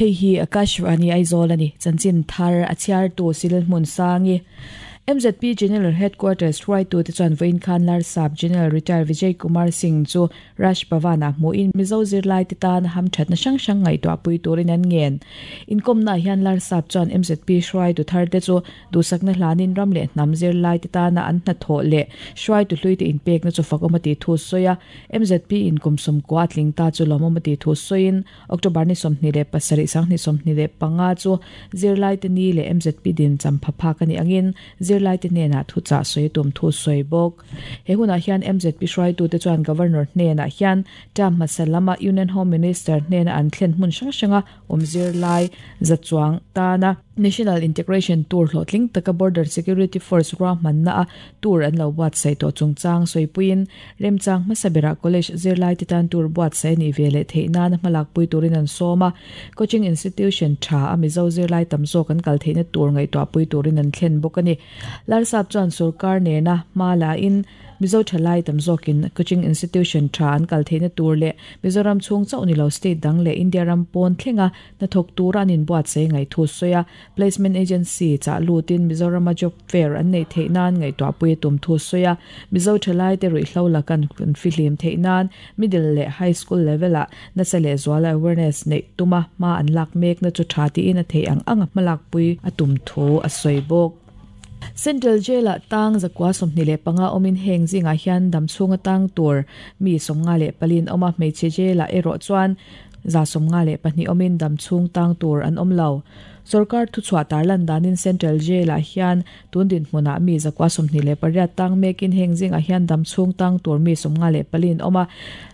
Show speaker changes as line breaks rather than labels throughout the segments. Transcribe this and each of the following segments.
Hei hi Akashvani Aizawl a ni. Chanchin thar a chhiartu Silhmun Sangi. MZP General Headquarters hruaitute chuan vawiin khan Larsap General Retired Vijay Kumar Singh chu Raj Bhavan-ah hmuhin Mizo zirlaite tan hamthatna hrang hrang ngaihtuahpui turin an ngen. Inkawmnaah hian Larsap chuan MZP hruaitu tharte chu Duhsakna hlanin ram leh hnam zirlaite tana an hnathawh leh hruaitu hluite inpekna chu fakawm a tih thu sawi a, MZP in kum sawmkua a tling ta chu lawmawm a tih thu sawiin October ni 27, 2025 chu zirlaite ni leh MZP din champha phak a nih angin zirlaite hnenah thuchah sawi a tum thu sawi bawk. He hunah hian MZP hruaitute chuan Governor hnenah hian term hmasa lama Union Home Minister hnena an thlen hmun hrang hranga awm zirlai za chuang tana National Integration Tour hlawhtling taka Border Security Force ruahmanna a tour an lo buatsaih tawh chungchang sawipuiin remchang hmasa berah college zirlaite tan tour buatsaih a nih ve leh theih nana hmalakpui turin an sawm a, coaching institution tha a Mizo zirlai tam zawk an kal theihna tur ngaihtuahpui turin an thlen bawk a ni. Larsap chuan sorkar nena hma la in Mizo thalai tam zawkin coaching institution tha an kal theihna tur leh Mizoram chhung chauh ni lo state dang leh India ram pawn thlenga hnathawk tura an inbuatsaih ngaih thu sawi a, placement agency chah lutin Mizorama job fair an neih theih nan ngaihtuahpui a tum thu sawi a, Mizo thalaite ruihhlo laka an fihlim theih nan middle leh high school level ah nasa leh zuala awareness neih tuma hma an lak mekna chu tha tiin a theih ang anga hmalakpui a tum thu a sawi bawk. Central Jail-ah tang 125 awmin heng zingah hian dam chhunga tang tur mi 54 an awm a, hmeichhe jail-ah erawh chuan 152 awmin dam chhung tang tur an awm lo. Sorkar thuchhuah tarlan danin Central Jail-ah hian tun dinhmunah mi 128 tang mekin heng zingah hian dam chhung tang tur mi 54 an awm a,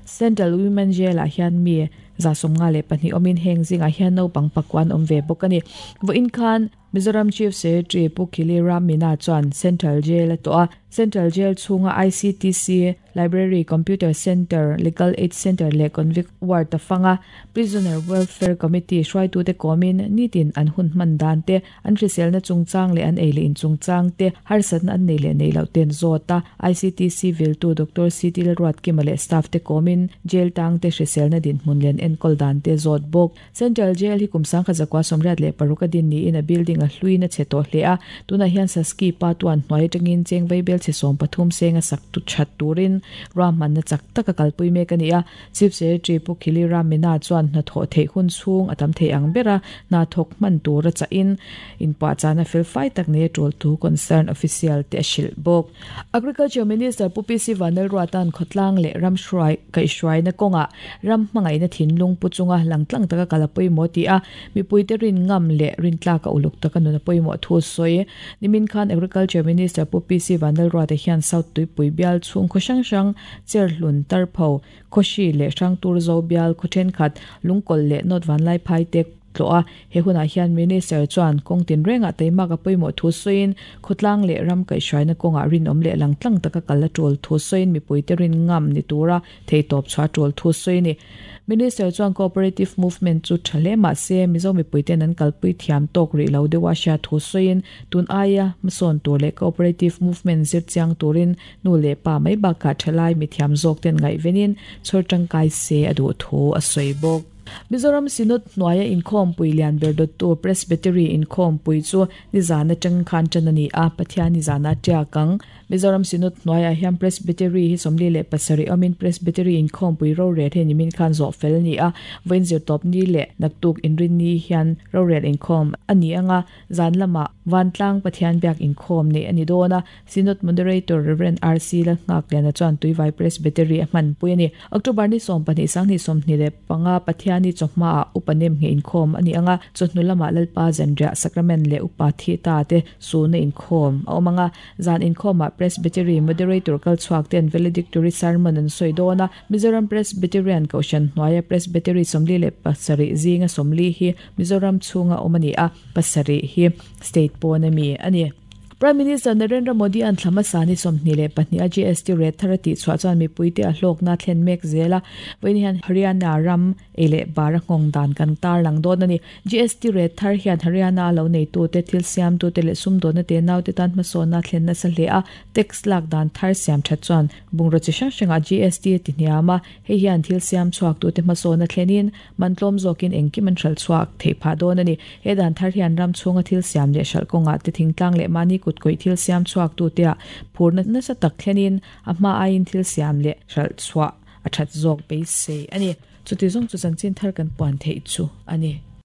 Central Women Jail-ah hian mi 152 awmin heng zingah hian naupang pakua an awm ve bawk a ni. Vawiin khan Mizoram Chief Secretary Pu Khili Ram Meena chuan Central Jail a tawh a, Central Jail chhunga ICTC, Library, Computer Centre, Legal Aid Centre leh Convict Ward a fang a, Prisoner Welfare Committee hruaitute kawmin nitin an hun hman dan te, an hriselna chungchang leh an ei leh in chungchang te, harsatna an nei leh nei loh te an zawt a, ICTC viltu Doctor CT Lalruatkima leh staff te kawmin jail tangte hriselna dinhmun leh an enkawl dan te zawt bawk. Central Jail hi kum 1986 a din niin a building a hluin a chhe tawh hle a, tunah hian Saski pa tuan hnuai atangin cheng vaibel chhe 13 seng a sak tu that turin ruahmanna chak tak a kalpui mek a ni a. Chief Secretary Pu Khili Ram Meena chuan hnathawh theih hun chhung a tam thei ang ber a, hna thawk hman tur a chahin inpuahchahna felfai tak nei a tul thu concern official te a hrilh bawk. Agriculture Minister Pu PC Vanlalruata'n khawtlang leh ram hruai kaihhruaina kawngah ram hmangaihna thinlung pu chunga langtlang taka kal a pawimawh tih a, mipuite rin ngam leh rintlak a uluk taka nun a pawimawh thu sawi. Nimin khan Agriculture Minister Pu PC Vanlalruata hian South Tuipui bial chhung khaw hrang hrang, Cherhlun, Tarpho, Khawhri leh Hrangturzo bial khaw thenkhat, Lungkawlh leh North Vanlaiphai te tlawh a. He hunah hian Minister chuan kawng tinrengah teimak a pawimawh thu sawiin, khawtlang leh ram kaihhruaina kawngah rinawm leh langtlang taka kal a tul thu sawiin mipuite rin ngam ni tura theihtawp chhuah a tul thu sawi a ni. Minister chuan Cooperative Movement chu tha hle mah se Mizo mipuite'n an kalpui thiam tawk rih lo deuha hriat thu sawiin, tun aia hmasawn tur leh Cooperative Movement zir chiang turin Nu leh pa mai bakah thalai mithiam zawk ten ngaihvenin chhawr tangkai se a duh thu a sawi bawk. Mizoram Synod hnuaia inkhawmpui lian ber dawttu Presbytery inkhawmpui chu nizan atang khan tan a ni a, Pathian nizana tiak ang. Mizoram Synod hnuaiah hian Presbytery hi 47 awmin Presbytery inkhawmpui rorel hi nimin khan zawh fel a ni a, vawiin zirtawpni leh naktuk inrinni hian rorel inkhawm a ni ang a, Zan lamah Vantlang Pathian biak inkhawm neih a ni dawn a, Synod Moderator Rev. RC Lalnghakliana chuan Tuivai Presbytery a hmanpui a ni. October ni 12 2025 Pathiani chawhmaah Upa Nemngheh inkhawm a ni ang a, chawhnu lamah Lalpa Zanriah Sacrament leh Upa Thita te sulna inkhawm a awm ang a, zan inkhawmah Presbytery Moderator kalchhuak ten Valedictory Sermon an sawi dawn a, Mizoram Presbyterian Kohhran hnuaia Presbytery 47 zinga 40 hi Mizoram chhunga awm a ni a, pasarih hi state pawn a mi a ni. Prime Minister Narendra Modi an thla hmasa ni 22 a GST rate thar a tihchhuah chuan mipuite a hlawkna a thlen mek zel a. Vawiin hian Haryana ram ei leh bar a nghawng dan kan tarlang dawn a ni. GST rate thar hian Haryana a lo neitute, thil siamtute leh sumdawnna te naute tan hmasawnna a thlen nasa hle a. Tax lak dan thar siam that chuan bungraw chi hrang hrangah GST a ti hniam a, hei hian thil siam chhuaktute hmasawnna thlenin man tlawm zawkin engkim an hralh chhuak theih phah dawn a ni. He dan thar hian ram chhunga thil siam leh hralh kawngah te thingtlang leh mahni kut kawih thil siam chhuaktute ah phurna nasa tak thlenin a hma aiin thil siam leh hralh chhuah a that zawk beisei a ni. Chuti zawng chu chanchin thar kan puan theih chu a ni.